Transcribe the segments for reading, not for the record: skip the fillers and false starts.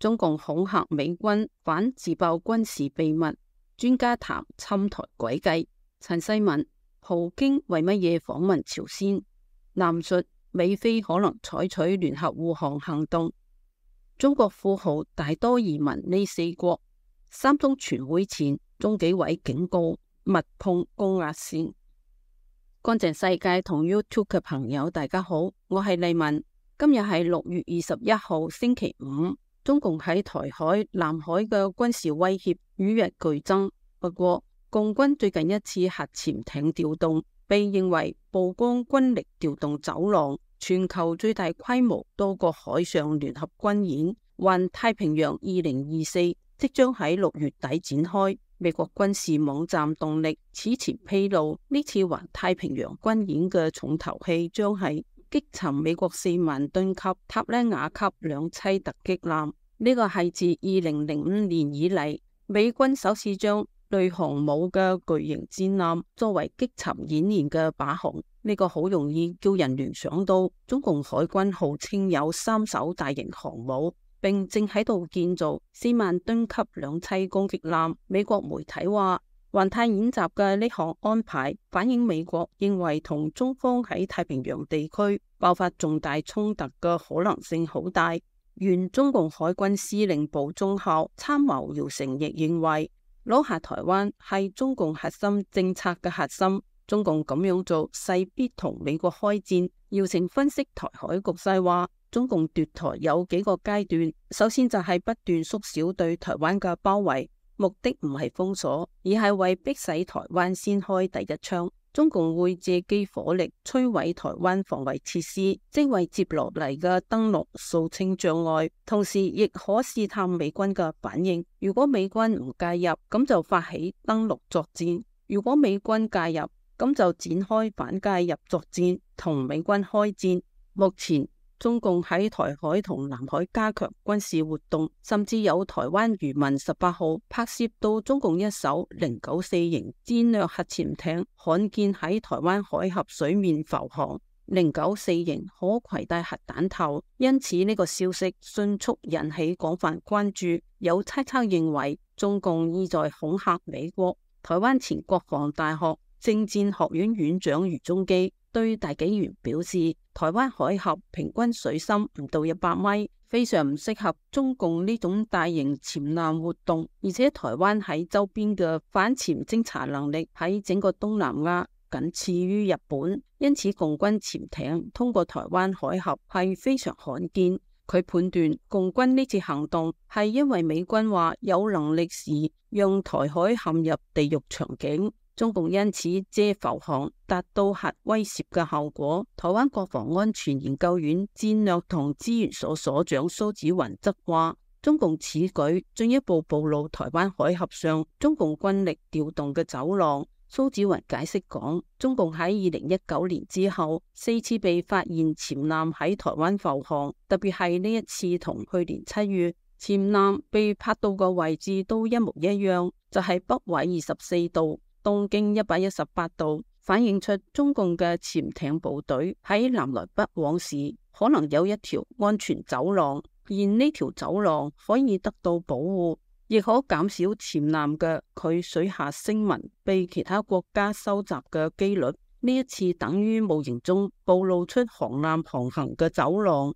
中共恐嚇美軍反自爆軍事秘密，專家談侵台詭計。陳世文，普京為乜嘢訪問朝鮮？南述美菲可能採取聯合護航行動。中國富豪大多移民呢4國。三中全會前，中紀委警告勿碰高壓線。乾淨世界同 YouTube 嘅朋友大家好，我係麗文。今日係6月21號星期五。中共喺台海、南海嘅軍事威脅與日俱增。不過，共軍最近一次核潛艇調動，被認為曝光軍力調動走廊，全球最大規模多個海上聯合軍演——環太平洋2024，即將喺6月底展開。美國軍事網站動力此前披露，呢次環太平洋軍演嘅重頭戲將係擊沉美國4萬噸級塔拉雅級兩棲突擊艦。呢個係自2005年以嚟，美軍首次將類航母嘅巨型戰艦作為擊沉演練嘅靶項。呢個好容易叫人聯想到中共海軍號稱有3艘大型航母，並正喺度建造4萬噸級兩棲攻擊艦。美國媒體話，環太演習嘅呢項安排反映美國認為同中方喺太平洋地區爆發重大衝突嘅可能性好大。原中共海軍司令部中校參謀姚成亦認為，攞下台灣係中共核心政策嘅核心。中共咁樣做勢必同美國開戰。姚成分析台海局勢話，中共奪台有幾個階段，首先就係不斷縮小對台灣嘅包圍，目的唔係封鎖，而係為迫使台灣先開第一槍。中共會借機火力摧毀台灣防衛設施，即為接落嚟嘅登陸掃清障礙，同時亦可試探美軍嘅反應。如果美軍唔介入，咁就發起登陸作戰；如果美軍介入，咁就展開反介入作戰，同美軍開戰。目前中共喺台海同南海加強軍事活動，甚至有台灣漁民18號拍攝到中共一艘094型戰略核潛艇罕見喺台灣海峽水面浮航。094型可攜帶核彈頭，因此呢個消息迅速引起廣泛關注。有猜測認為，中共意在恐嚇美國。台灣前國防大學政戰學院院長余宗基對大紀元表示，台灣海峽平均水深唔到100米，非常唔適合中共呢種大型潛艦活動，而且台灣喺周邊嘅反潛偵察能力喺整個東南亞僅次於日本，因此共軍潛艇通過台灣海峽係非常罕見。佢判斷共軍呢次行動係因為美軍話有能力時讓台海陷入地獄場景。中共因此借浮航達到核威懾嘅效果。台灣國防安全研究院戰略同資源所所長蘇紫雲則話，中共此舉進一步暴露台灣海峽上中共軍力調動嘅走廊。蘇紫雲解釋講，中共喺2019年之後4次被發現潛艦喺台灣浮航，特別係呢一次同去年7月潛艦被拍到嘅位置都一模一樣，就係北緯24度。東經118度，反映出中共嘅潛艇部隊喺南來北往時，可能有一條安全走廊，而呢條走廊可以得到保護，亦可減少潛艦嘅佢水下聲紋被其他國家收集嘅幾率。呢一次等於無形中暴露出航艦航行嘅走廊。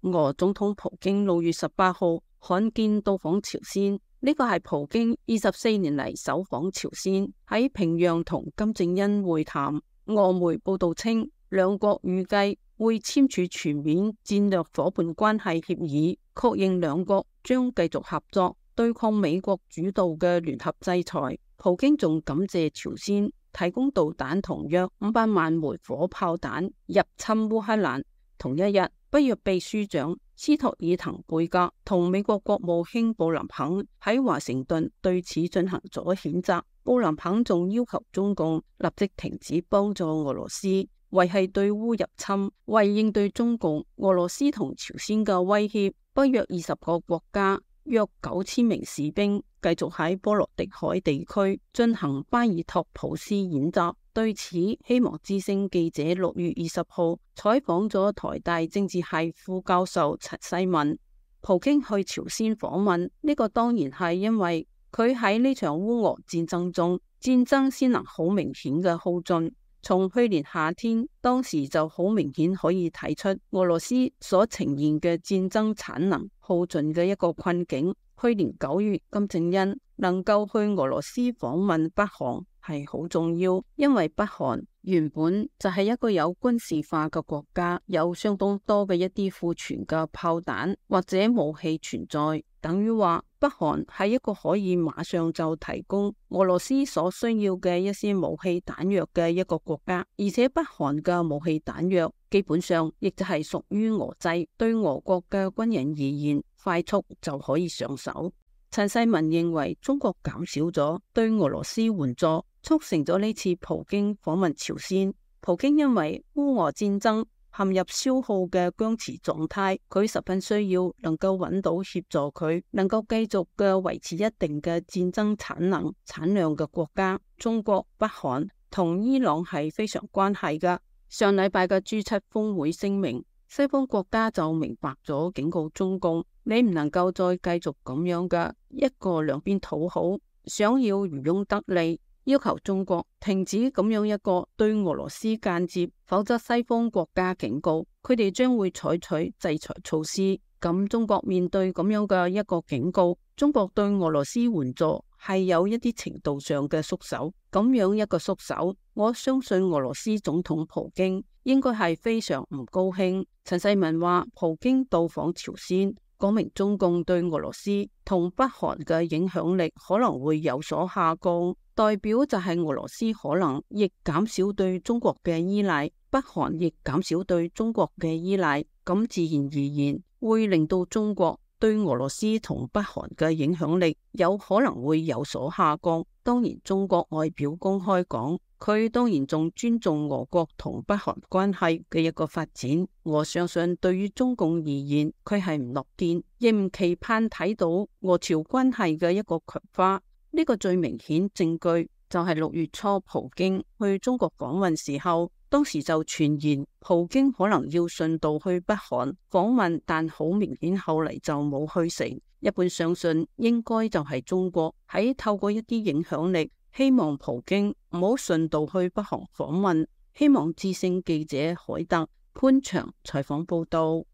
俄總統普京6月18號罕見到訪朝鮮。呢個係普京24年嚟首訪朝鮮，喺平壤同金正恩會談。俄媒報道稱，兩國預計會簽署全面戰略夥伴關係協議，確認兩國將繼續合作對抗美國主導嘅聯合制裁。普京仲感謝朝鮮提供導彈同約500萬枚火炮彈入侵烏克蘭。同一日，北約秘書長斯托爾滕貝格同美國國務卿布林肯喺華盛頓對此進行咗譴責。布林肯仲要求中共立即停止幫助俄羅斯維繫對烏入侵，為應對中共、俄羅斯同朝鮮嘅威脅，北約20個國家約9000名士兵繼續喺波羅的海地區進行巴爾托普斯演習。對此，希望之聲記者6月20號採訪咗台大政治系副教授陳世文。普京去朝鮮訪問，呢個當然係因為佢喺呢場烏俄戰爭中，戰爭先能好明顯嘅耗盡。從去年夏天，當時就好明顯可以睇出俄羅斯所呈現嘅戰爭產能耗盡嘅一個困境。去年9月，金正恩能夠去俄羅斯訪問北韓係好重要，因為北韓原本就係一個有軍事化嘅國家，有相當多嘅一啲庫存嘅炮彈或者武器存在，等於話北韓係一個可以馬上就提供俄羅斯所需要嘅一些武器彈藥嘅一個國家，而且北韓嘅武器彈藥基本上亦就係屬於俄製，對俄國嘅軍人而言，快速就可以上手。陳世文認為中國減少咗對俄羅斯援助，促成咗呢次普京訪問朝鮮。普京因為烏俄戰爭陷入消耗嘅僵持狀態，佢十分需要能夠揾到協助佢能夠繼續嘅維持一定嘅戰爭產量嘅國家。中國、北韓同伊朗係非常關係㗎。上禮拜嘅 G7 峰會聲明，西方國家就明白咗，警告中共，你唔能夠再繼續咁樣嘅一個兩邊討好，想要漁翁得利，要求中國停止咁樣一個對俄羅斯間接，否則西方國家警告佢哋將會採取制裁措施。咁中國面對咁樣嘅一個警告，中國對俄羅斯援助係有一啲程度上嘅縮手。咁樣一個縮手，我相信俄羅斯總統普京應該係非常唔高興。陳世文話，普京到訪朝鮮，講明中共對俄羅斯同北韓嘅影響力可能會有所下降，代表就係俄羅斯可能亦減少對中國嘅依賴，北韓亦減少對中國嘅依賴，咁自然而然會令到中國對俄羅斯同北韓嘅影響力有可能會有所下降。當然，中國外表公開講，佢當然仲尊重俄國同北韓關係嘅一個發展。我相信對於中共而言，佢係唔樂見，亦唔期盼睇到俄朝關係嘅一個強化。呢個最明顯證據就係6月初普京去中國訪問時候，當時就傳言普京可能要順道去北韓訪問，但好明顯後嚟就冇去成。一般相信應該就係中國喺透過一啲影響力，希望普京唔好順道去北韓訪問。希望之聲記者凱特潘祥採訪報道。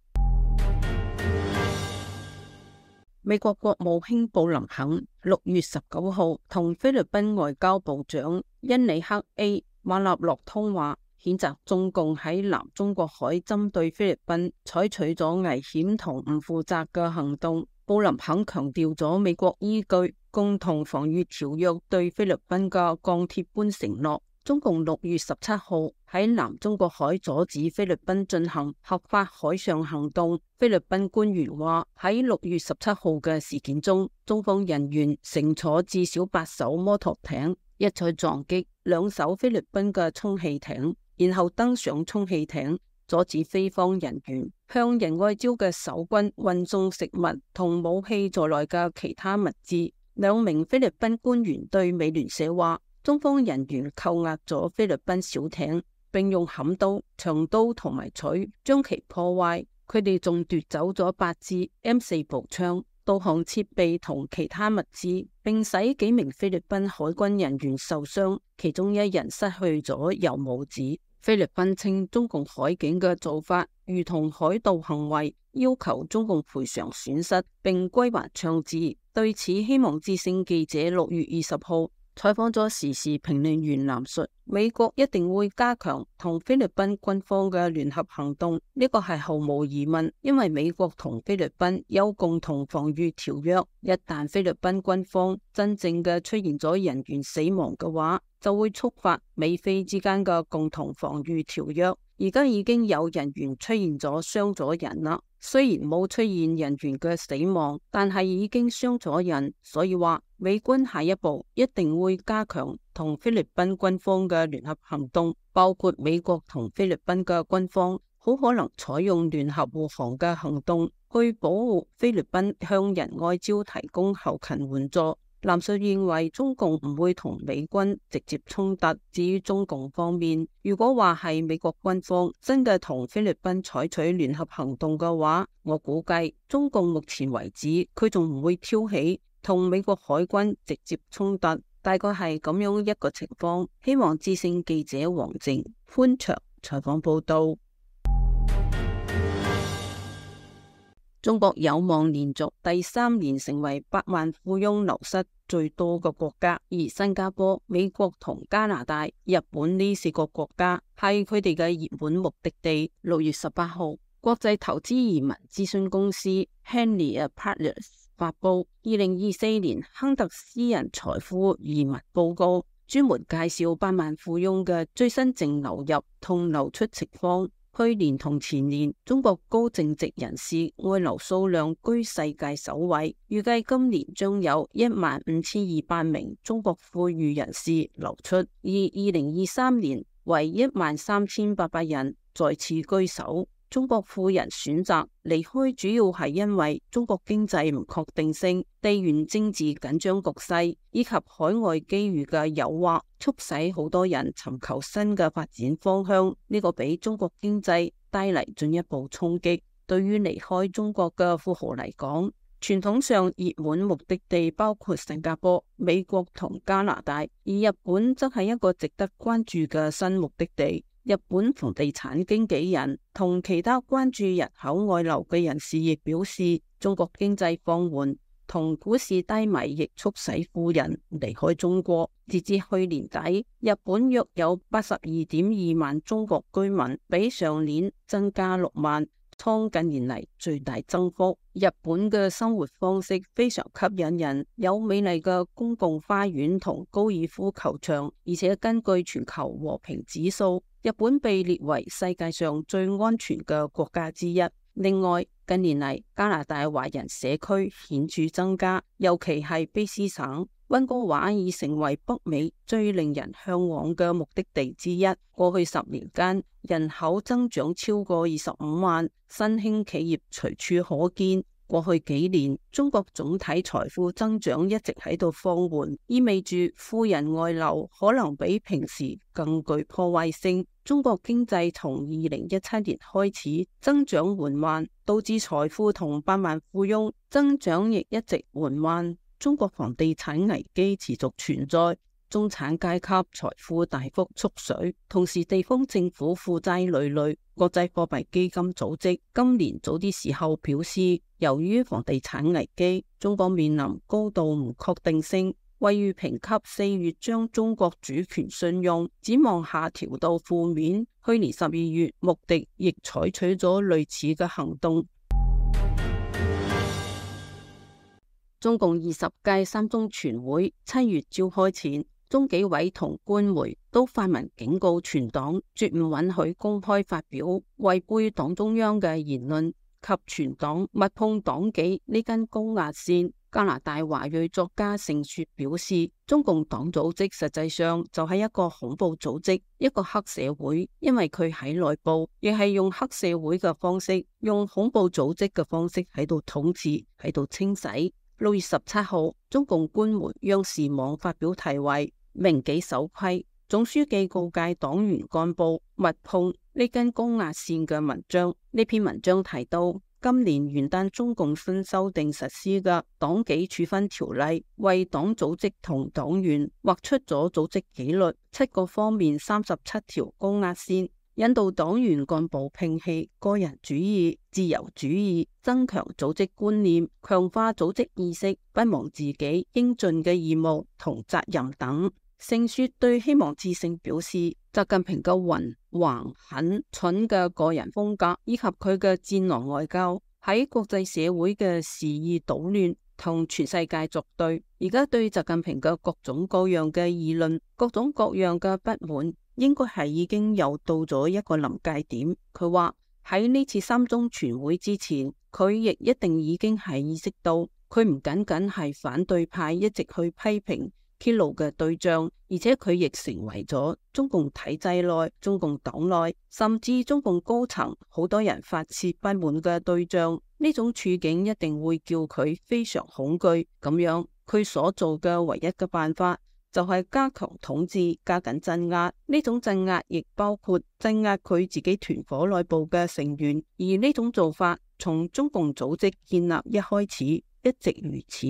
美國國務卿布林肯6月19號同菲律賓外交部長恩里克 A 馬納洛通話，譴責中共喺南中國海針對菲律賓採取咗危險同唔負責嘅行動。布林肯強調咗美國依據共同防禦條約對菲律賓嘅鋼鐵般承諾。中共6月17號喺南中國海阻止菲律賓進行合法海上行動。菲律賓官員話，喺6月17號嘅事件中，中方人員乘坐至少8艘摩托艇，一再撞擊2艘菲律賓嘅充氣艇，然後登上充氣艇，阻止菲方人員向仁愛礁嘅守軍運送食物同武器在內嘅其他物資。2名菲律賓官員對美聯社話，中方人員扣押咗菲律賓小艇，並用砍刀、長刀同埋錘將其破壞。佢哋仲奪走咗8支 M4 步槍、導航設備同其他物資，並使幾名菲律賓海軍人員受傷，其中1人失去咗右拇指。菲律賓稱中共海警嘅做法如同海盜行為，要求中共賠償損失並歸還槍支。對此，希望之聲記者6月20號採訪咗時事評論員藍述，美國一定會加強同菲律賓軍方嘅聯合行動，呢個係毫無疑問，因為美國同菲律賓有共同防禦條約，一旦菲律賓軍方真正嘅出現咗人員死亡嘅話，就會觸發美菲之間嘅共同防禦條約。而家已經有人員出現咗傷咗人啦，雖然冇出現人員嘅死亡，但係已經傷咗人，所以話美軍下一步一定會加強同菲律賓軍方嘅聯合行動，包括美國同菲律賓嘅軍方好可能採用聯合護航嘅行動去保護菲律賓向仁愛礁提供後勤援助。南述認為中共唔會同美軍直接衝突。至於中共方面，如果話係美國軍方真嘅同菲律賓採取聯合行動嘅話，我估計中共目前為止佢仲唔會挑起同美國海軍直接衝突，大概係咁樣一個情況。希望之聲記者黃靜寬長採訪報道。中國有望連續第3年成為百萬富翁流失最多嘅國家，而新加坡、美國同加拿大、日本呢4個國家係佢哋嘅熱門目的地。6月18號，國際投資移民諮詢公司 Henley Partners 發布2024年亨特私人財富移民報告，專門介紹百萬富翁嘅最新淨流入同流出情況。去年同前年，中國高淨值人士外流數量居世界首位，預計今年將有15200名中國富裕人士流出，而2023年為13800人再次居首。中國富人選擇離開主要係因為中國經濟唔確定性、地緣政治緊張局勢以及海外機遇嘅誘惑，促使好多人尋求新嘅發展方向。呢個俾中國經濟帶嚟進一步衝擊。對於離開中國嘅富豪嚟講，傳統上熱門目的地包括新加坡、美國同加拿大，而日本則係一個值得關注嘅新目的地。日本房地產經紀人同其他關注人口外流嘅人士亦表示，中國經濟放緩同股市低迷亦促使富人離開中國。截至去年底，日本約有82.2萬中國居民，比上年增加6萬，創近年嚟最大增幅。日本嘅生活方式非常吸引人，有美麗嘅公共花園同高爾夫球場，而且根據全球和平指數，日本被列為世界上最安全嘅國家之一。另外，近年嚟加拿大華人社區顯著增加，尤其係卑詩省。溫哥華已成為北美最令人向往嘅目的地之一。過去10年間，人口增長超過25萬，新興企業隨處可見。過去幾年，中國總體財富增長一直喺度放緩，意味住富人外流可能比平時更具破壞性。中國經濟從2017年開始增長緩慢，導致財富同百萬富翁增長亦一直緩慢。中國房地產危機持續存在，中產階級財富大幅縮水，同時地方政府負債累累。國際貨幣基金組織今年早啲時候表示，由於房地產危機，中國面臨高度唔確定性，惠譽評級4月將中國主權信用展望下調到負面。去年12月，穆迪亦採取咗類似嘅行動。中共20屆3中全會7月召開前，中紀委同官媒都發文警告全黨，絕唔允許公開發表違背黨中央嘅言論及全黨勿碰黨紀呢根高壓線。加拿大華裔作家盛雪表示，中共黨組織實際上就係一個恐怖組織，一個黑社會，因為佢喺內部亦係用黑社會嘅方式，用恐怖組織嘅方式喺度統治，喺度清洗。6月17號，中共官媒央視網發表題為《銘紀守規》，總書記告誡黨員幹部勿碰呢根高壓線嘅文章。呢篇文章提到，今年元旦中共新修訂實施嘅黨紀處分條例，為黨組織同黨員劃出咗組織紀律7個方面37條高壓線，引導黨員幹部摒棄個人主義、自由主義，增強組織觀念，強化組織意識，不忘自己應盡嘅義務同責任等。盛雪對希望之聲表示，習近平嘅橫橫狠蠢嘅個人風格，以及佢嘅戰狼外交，喺國際社會嘅肆意搗亂，同全世界作對。而家對習近平嘅各種各樣嘅議論，各種各樣嘅不滿，應該係已經又到咗一個臨界點。佢話喺呢次3中全會之前，佢亦一定已經係意識到，佢唔僅僅係反對派一直去批評揭露嘅對象，而且佢亦成為咗中共體制內、中共黨內，甚至中共高層好多人發洩不滿嘅對象。呢種處境一定會叫佢非常恐懼，咁樣佢所做嘅唯一嘅辦法就係加強統治，加緊鎮壓。呢種鎮壓亦包括鎮壓佢自己團伙內部嘅成員，而呢種做法從中共組織建立一開始一直如此。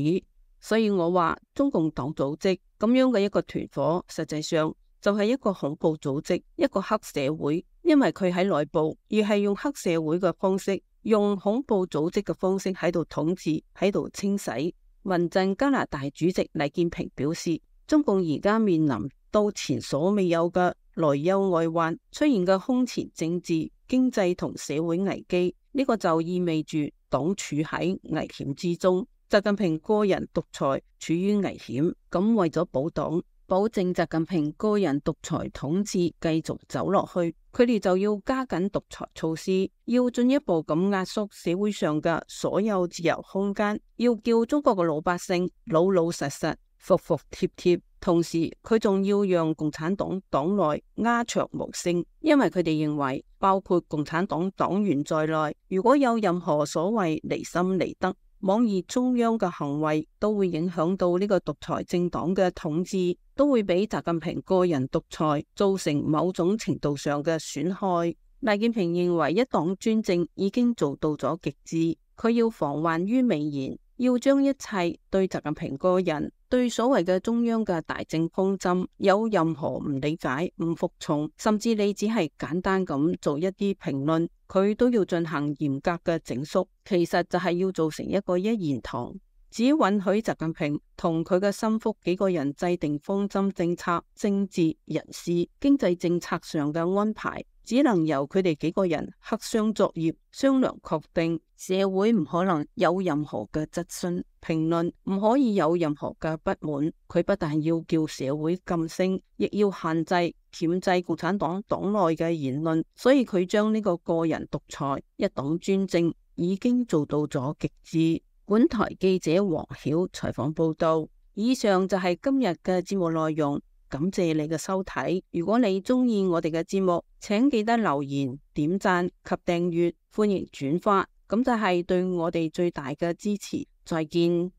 所以我話中共黨組織咁樣嘅一個團伙，實際上就係一個恐怖組織，一個黑社會，因為佢喺內部而係用黑社會嘅方式，用恐怖組織嘅方式喺度統治，喺度清洗。民陣加拿大主席黎建平表示，中共而家面臨到前所未有嘅內憂外患，出現嘅空前政治、經濟同社會危機，呢個就意味住黨處喺危險之中。習近平個人獨裁處於危險，咁為咗保黨，保證習近平個人獨裁統治繼續走落去，佢哋就要加緊獨裁措施，要進一步咁壓縮社會上嘅所有自由空間，要叫中國嘅老百姓老老實實、服服帖帖。同時，佢仲要讓共產黨黨內鴉雀無聲，因為佢哋認為，包括共產黨黨員在內，如果有任何所謂離心離德、妄議中央嘅行為，都會影響到呢個獨裁政黨嘅統治，都會俾習近平個人獨裁造成某種程度上嘅損害。黎建平認為，一黨專政已經做到咗極致，佢要防患於未然，要將一切對習近平個人、對所謂嘅中央嘅大政方針有任何唔理解、唔服從，甚至你只係簡單咁做一啲評論，佢都要進行嚴格嘅整肅。其實就係要做成一個一言堂，只允許習近平同佢嘅心腹幾個人制定方針政策、政治、人事、經濟政策上嘅安排，只能由佢哋幾個人黑箱作業，商量確定。社會唔可能有任何嘅質詢、評論，唔可以有任何嘅不滿。佢不但要叫社會噤聲，亦要限制、鉗制共產黨黨內嘅言論。所以佢將呢個個人獨裁、一黨專政已經做到咗極致。本台記者黃曉採訪報道。以上就係今日嘅節目內容。感謝你嘅收睇。如果你中意我哋嘅節目，請記得留言、點讚及訂閱，歡迎轉發，咁就係對我哋最大嘅支持。再見。